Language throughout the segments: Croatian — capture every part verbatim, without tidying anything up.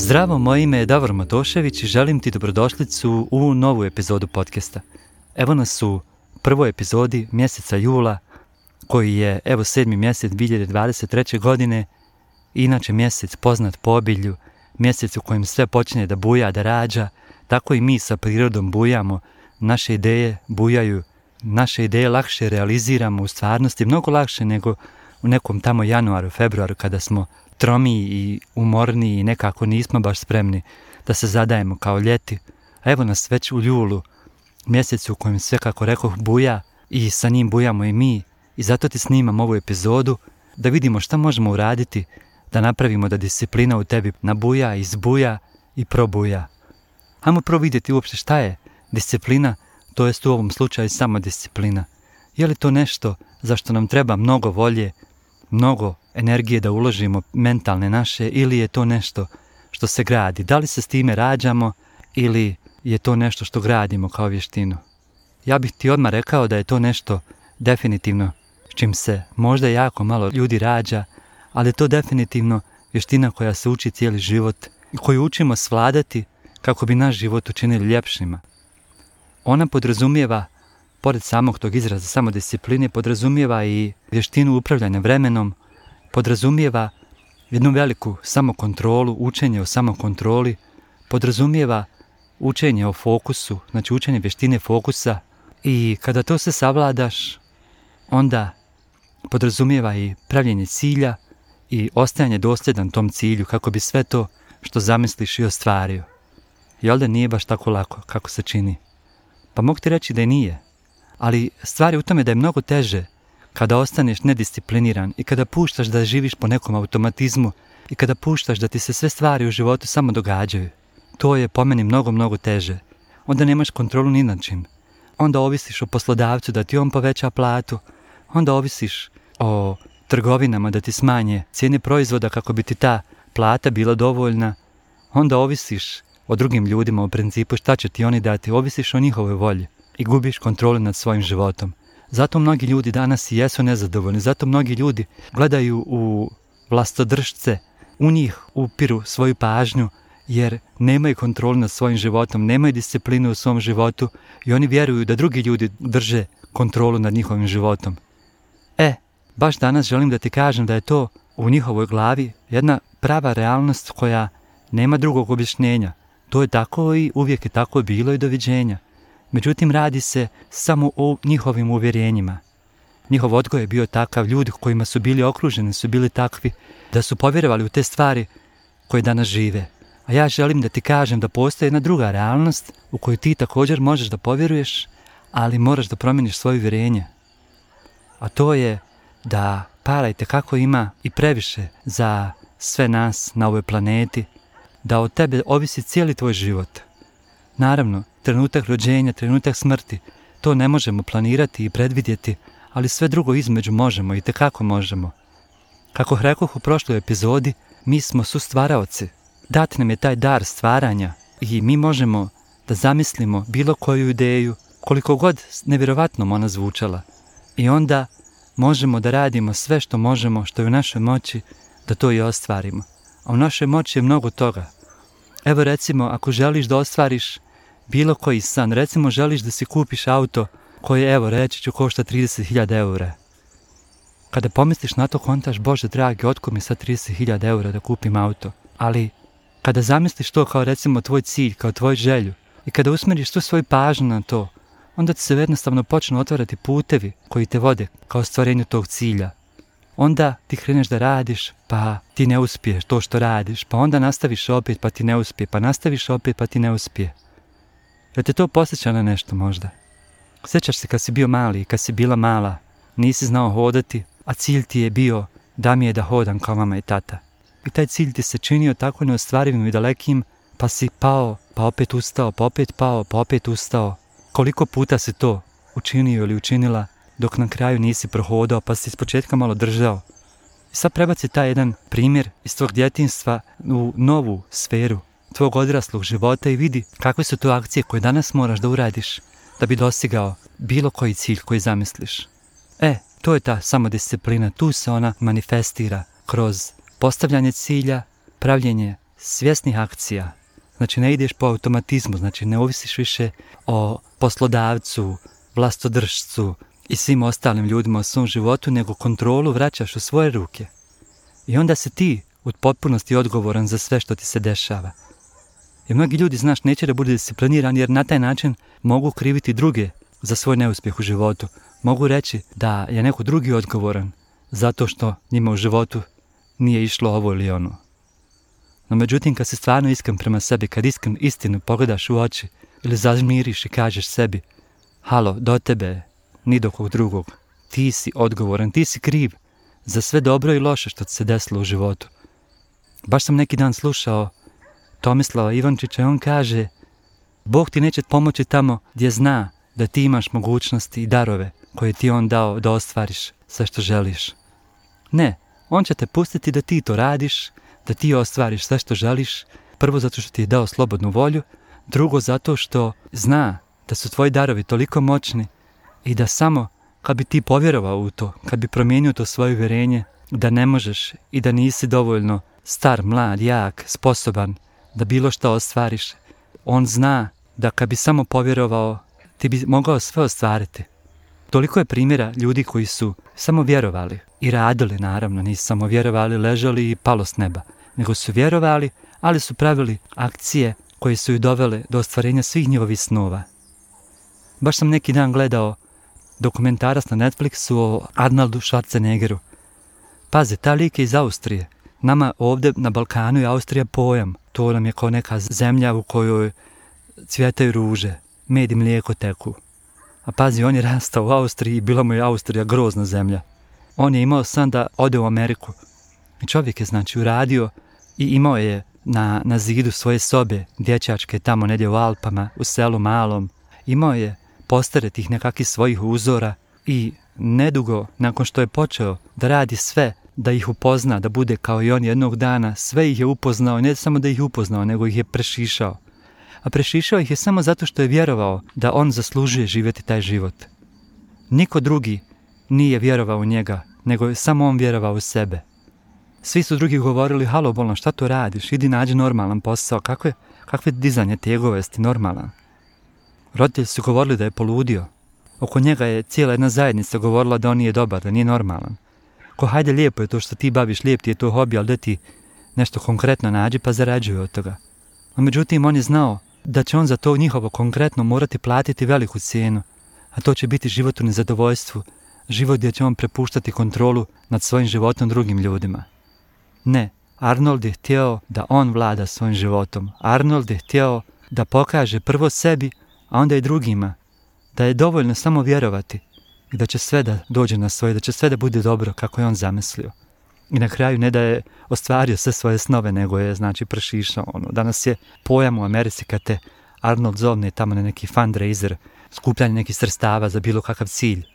Zdravo, moje ime je Davor Matošević i želim ti dobrodošlicu u novu epizodu podcasta. Evo nas u prvoj epizodi mjeseca jula, koji je evo sedmi mjesec dvije hiljade dvadeset treće. godine, inače mjesec poznat po obilju, mjesec u kojem sve počne da buja, da rađa, tako i mi sa prirodom bujamo, naše ideje bujaju, naše ideje lakše realiziramo u stvarnosti, mnogo lakše nego u nekom tamo januaru, februaru, kada smo tromiji i umorniji i nekako nismo baš spremni da se zadajemo kao ljeti. A evo nas već u julu, mjesecu u kojem sve, kako rekoh, buja i sa njim bujamo i mi. I zato ti snimam ovu epizodu da vidimo šta možemo uraditi, da napravimo da disciplina u tebi nabuja, izbuja i probuja. Hajmo prvo vidjeti uopšte šta je disciplina, to jest u ovom slučaju samo disciplina. Je li to nešto za što nam treba mnogo volje, mnogo energije da uložimo, mentalne naše, ili je to nešto što se gradi? Da li se s time rađamo ili je to nešto što gradimo kao vještinu? Ja bih ti odmah rekao da je to nešto definitivno s čim se možda jako malo ljudi rađa, ali je to definitivno vještina koja se uči cijeli život i koju učimo svladati kako bi naš život učinili ljepšima. Ona podrazumijeva, pored samog tog izraza samodiscipline, podrazumijeva i vještinu upravljanja vremenom, podrazumijeva jednu veliku samokontrolu, učenje o samokontroli, podrazumijeva učenje o fokusu, znači učenje vještine fokusa, i kada to se savladaš, onda podrazumijeva i pravljenje cilja i ostajanje dosljedan tom cilju kako bi sve to što zamisliš i ostvario. Jel da nije baš tako lako kako se čini? Pa mogu ti reći da i nije, ali stvar je u tome da je mnogo teže kada ostaneš nediscipliniran i kada puštaš da živiš po nekom automatizmu i kada puštaš da ti se sve stvari u životu samo događaju. To je po meni mnogo, mnogo teže. Onda nemaš kontrolu ni nad čim. Onda ovisiš o poslodavcu da ti on poveća platu, onda ovisiš o trgovinama da ti smanje cijene proizvoda kako bi ti ta plata bila dovoljna, onda ovisiš o drugim ljudima u principu šta će ti oni dati, ovisiš o njihovoj volji i gubiš kontrolu nad svojim životom. Zato mnogi ljudi danas i jesu nezadovoljni, zato mnogi ljudi gledaju u vlastodržce, u njih upiru svoju pažnju jer nemaju kontrolu nad svojim životom, nemaju disciplinu u svom životu i oni vjeruju da drugi ljudi drže kontrolu nad njihovim životom. E, baš danas želim da ti kažem da je to u njihovoj glavi jedna prava realnost koja nema drugog objašnjenja. To je tako i uvijek je tako bilo i doviđenja. Međutim, radi se samo o njihovim uvjerenjima. Njihov odgoj je bio takav, ljudi kojima su bili okruženi su bili takvi da su povjerovali u te stvari koje danas žive. A ja želim da ti kažem da postoji jedna druga realnost u koju ti također možeš da povjeruješ, ali moraš da promijeniš svoje uvjerenje. A to je da para itekako ima i previše za sve nas na ovoj planeti, da od tebe ovisi cijeli tvoj život. Naravno, trenutak rođenja, trenutak smrti, to ne možemo planirati i predvidjeti, ali sve drugo između možemo, itekako možemo. Kako rekoh u prošloj epizodi, mi smo sustvaraoci. Dat nam je taj dar stvaranja i mi možemo da zamislimo bilo koju ideju, koliko god nevjerovatnom ona zvučala. I onda možemo da radimo sve što možemo, što je u našoj moći, da to i ostvarimo. A u našoj moći je mnogo toga. Evo recimo, ako želiš da ostvariš bilo koji san, recimo želiš da si kupiš auto koje, evo reći ću, košta trideset hiljada eura. Kada pomisliš na to, kontaš, Bože dragi, otkud mi sad trideset hiljada eura da kupim auto? Ali kada zamisliš to kao recimo tvoj cilj, kao tvoj želju, i kada usmeriš tu svoju pažnju na to, onda ti se jednostavno počnu otvarati putevi koji te vode kao stvarenju tog cilja. Onda ti kreneš da radiš, pa ti ne uspiješ to što radiš, pa onda nastaviš opet, pa ti ne uspije, pa nastaviš opet, pa ti ne uspije. Jel te to posjeća na nešto možda? Sjećaš se kad si bio mali, kad si bila mala, nisi znao hodati, a cilj ti je bio da mi je da hodam kao mama i tata. I taj cilj ti se činio tako neostvarivim i dalekim, pa si pao, pa opet ustao, pa opet pao, pa opet ustao. Koliko puta si to učinio ili učinila, dok na kraju nisi prohodao, pa si ispočetka malo držao. I sad prebaci taj jedan primjer iz tvog djetinjstva u novu sferu tvog odraslog života i vidi kakve su to akcije koje danas moraš da uradiš da bi dostigao bilo koji cilj koji zamisliš. E, to je ta samodisciplina, tu se ona manifestira kroz postavljanje cilja, pravljenje svjesnih akcija. Znači ne ideš po automatizmu, znači ne ovisiš više o poslodavcu, vlastodržcu i svim ostalim ljudima u svom životu, nego kontrolu vraćaš u svoje ruke. I onda si ti u potpunosti odgovoran za sve što ti se dešava. I mnogi ljudi, znaš, neće da budu disciplinirani jer na taj način mogu kriviti druge za svoj neuspjeh u životu. Mogu reći da je neko drugi odgovoran zato što njima u životu nije išlo ovo ili ono. No međutim, kad si stvarno iskren prema sebi, kad iskren istinu pogledaš u oči ili zažmiriš i kažeš sebi: halo, do tebe, ni do kog drugog, ti si odgovoran, ti si kriv za sve dobro i loše što ti se desilo u životu. Baš sam neki dan slušao Tomislava Ivančića i on kaže: Bog ti neće pomoći tamo gdje zna da ti imaš mogućnosti i darove koje ti on dao da ostvariš sve što želiš. Ne, on će te pustiti da ti to radiš, da ti ostvariš sve što želiš, prvo zato što ti je dao slobodnu volju, drugo zato što zna da su tvoji darovi toliko moćni i da samo kad bi ti povjerovao u to, kad bi promijenio to svoje uvjerenje da ne možeš i da nisi dovoljno star, mlad, jak, sposoban da bilo što ostvariš, on zna da kad bi samo povjerovao ti bi mogao sve ostvariti. Toliko je primjera ljudi koji su samo vjerovali i radili, naravno, nisu samo vjerovali, ležali i palo s neba, nego su vjerovali, ali su pravili akcije koje su ju dovele do ostvarenja svih njihovih snova. Baš sam neki dan gledao dokumentarac na Netflixu o Arnoldu Schwarzeneggeru. Pazi, ta lik je iz Austrije. Nama ovdje na Balkanu je Austrija pojam. To nam je kao neka zemlja u kojoj cvjetaju ruže, med i mlijeko teku. A pazi, on je rastao u Austriji i bila mu je Austrija grozna zemlja. On je imao san da ode u Ameriku. I čovjek je znači uradio i imao je na, na zidu svoje sobe, dječačke tamo negdje u Alpama, u selu malom. Imao je postere tih nekakvih svojih uzora i nedugo nakon što je počeo da radi sve, da ih upozna, da bude kao i on jednog dana, sve ih je upoznao, ne samo da ih je upoznao, nego ih je prešišao. A prešišao ih je samo zato što je vjerovao da on zaslužuje živjeti taj život. Niko drugi nije vjerovao u njega, nego je samo on vjerovao u sebe. Svi su drugi govorili: halo bolno, šta to radiš, idi nađi normalan posao, kakve, kakve dizanje tegove, jesi normalan. Roditelji su govorili da je poludio. Oko njega je cijela jedna zajednica govorila da on nije dobar, da nije normalan. Ko hajde, lijepo je to što ti baviš, lijep ti je to hobi, ali da ti nešto konkretno nađi pa zarađuje od toga. A međutim, on je znao da će on za to njihovo konkretno morati platiti veliku cijenu, a to će biti život u nezadovoljstvu, život gdje će on prepuštati kontrolu nad svojim životom drugim ljudima. Ne, Arnold je htio da on vlada svojim životom. Arnold je htio da pokaže prvo sebi, a onda i drugima, da je dovoljno samo vjerovati i da će sve da dođe na svoje, da će sve da bude dobro kako je on zamislio. I na kraju ne da je ostvario sve svoje snove, nego je znači prešišao ono. Danas je pojam u Americi kad te Arnold zovne tamo na neki fundraiser, skupljanje nekih sredstava za bilo kakav cilj.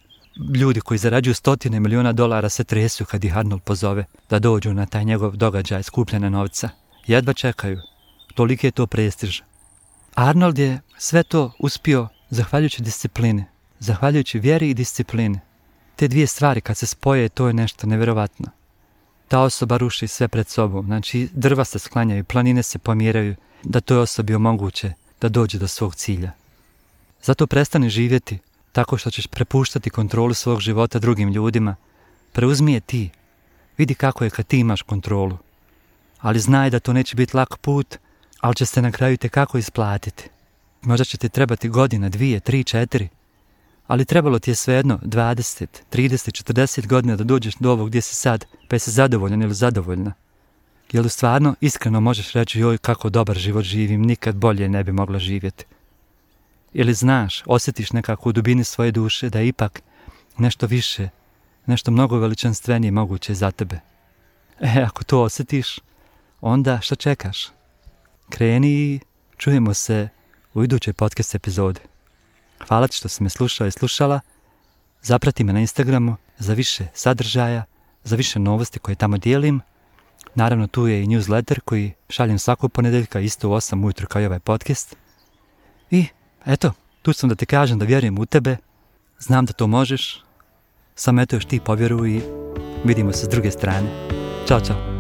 Ljudi koji zarađuju stotine miliona dolara se tresu kad ih Arnold pozove da dođu na taj njegov događaj skupljanja novca. Jedva čekaju. Toliki je to prestiž. Arnold je sve to uspio zahvaljujući disciplini, zahvaljujući vjeri i disciplini. Te dvije stvari kad se spoje, to je nešto nevjerovatno. Ta osoba ruši sve pred sobom, znači drva se sklanjaju, planine se pomjeraju, da toj osobi omoguće da dođe do svog cilja. Zato prestani živjeti tako što ćeš prepuštati kontrolu svog života drugim ljudima. Preuzmi je ti. Vidi kako je kad ti imaš kontrolu. Ali znaj da to neće biti lak put, ali će se na kraju tekako isplatiti. Možda će ti trebati godina, dvije, tri, četiri, ali trebalo ti je svejedno dvadeset, trideset, četrdeset godina da dođeš do ovog gdje si sad, pa jesi zadovoljan ili zadovoljna. Jel stvarno iskreno možeš reći: joj, kako dobar život živim, nikad bolje ne bi mogla živjeti. Ili znaš, osjetiš nekako u dubini svoje duše da je ipak nešto više, nešto mnogo veličanstvenije moguće za tebe. E, ako to osjetiš, onda šta čekaš? Kreni i čujemo se u idućoj podcast epizodi. Hvala ti što si me slušao i slušala. Zaprati me na Instagramu za više sadržaja, za više novosti koje tamo dijelim. Naravno, tu je i newsletter koji šaljem svakog ponedjeljka isto u osam ujutro kao i ovaj podcast. I eto, tu sam da ti kažem da vjerujem u tebe, znam da to možeš, samo eto još ti povjeruj i vidimo se s druge strane. Ćao, čao.